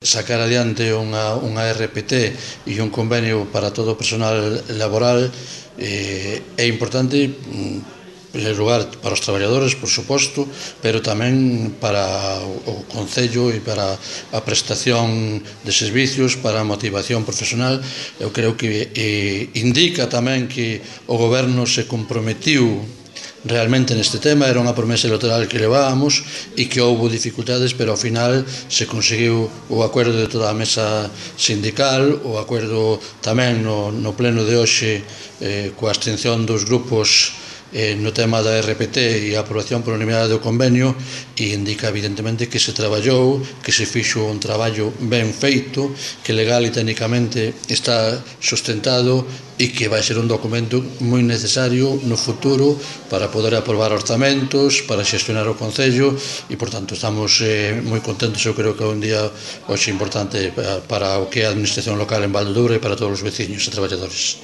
Sacar adiante unha RPT e un convenio para todo o personal laboral é importante, en primeiro lugar, para os traballadores, por suposto, pero tamén para o Concello e para a prestación de servicios, para a motivación profesional. Eu creo que indica tamén que o Goberno se comprometiu realmente neste tema, era unha promesa electoral que levábamos e que houbo dificultades, pero ao final se conseguiu o acordo de toda a mesa sindical, o acordo tamén no pleno de hoxe coa abstención dos grupos no tema da RPT e a aprobación por unanimidade do convenio, e indica evidentemente que se traballou, que se fixo un traballo ben feito, que legal e técnicamente está sustentado e que vai ser un documento moi necesario no futuro para poder aprobar orzamentos, para xestionar o Concello, e, por tanto, estamos moi contentos. Eu creo que é un día hoxe importante para o que é a administración local en Val do Douro e para todos os veciños e traballadores.